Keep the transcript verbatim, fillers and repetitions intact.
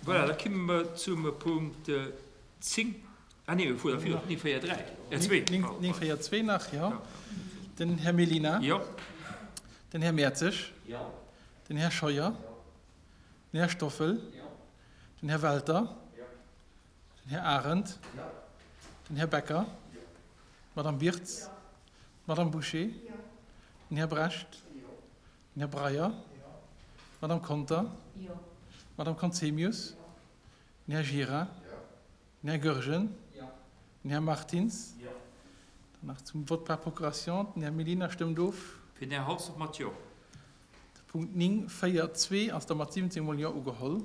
Voilà, da komme mer zum Punkt zéng. Ah nee, mir fueren virun op néng véier dräi, äh zwee. Néng véier zwee nach, jo. Den Här Mellina. Jo. Den Här Mertzig. Jo. Den Här Scheuer. Den Här Stoffel. Jo. Den Här Welter. Jo. Den Här Arendt. Jo. Den Här Becker. Jo. D'Madame Birtz. Jo. D'Madame Bouché. Jo. Den Här Brecht. Jo. Den Här Breyer. Jo. D'Madame Conter. Jo. D'Madame Conzemius. Jo. Den Här Gira. Jo. Den Här Goergen. Jo. Den Här Martins. Jo. Dann nach zum Vote par procuration. Den Här Mellina stëmmt of. Fir den Här Halsdorf mat Jo. De Punkt néng, véier, zwee ass da mat siwwenzéng mol Jo ugeholl.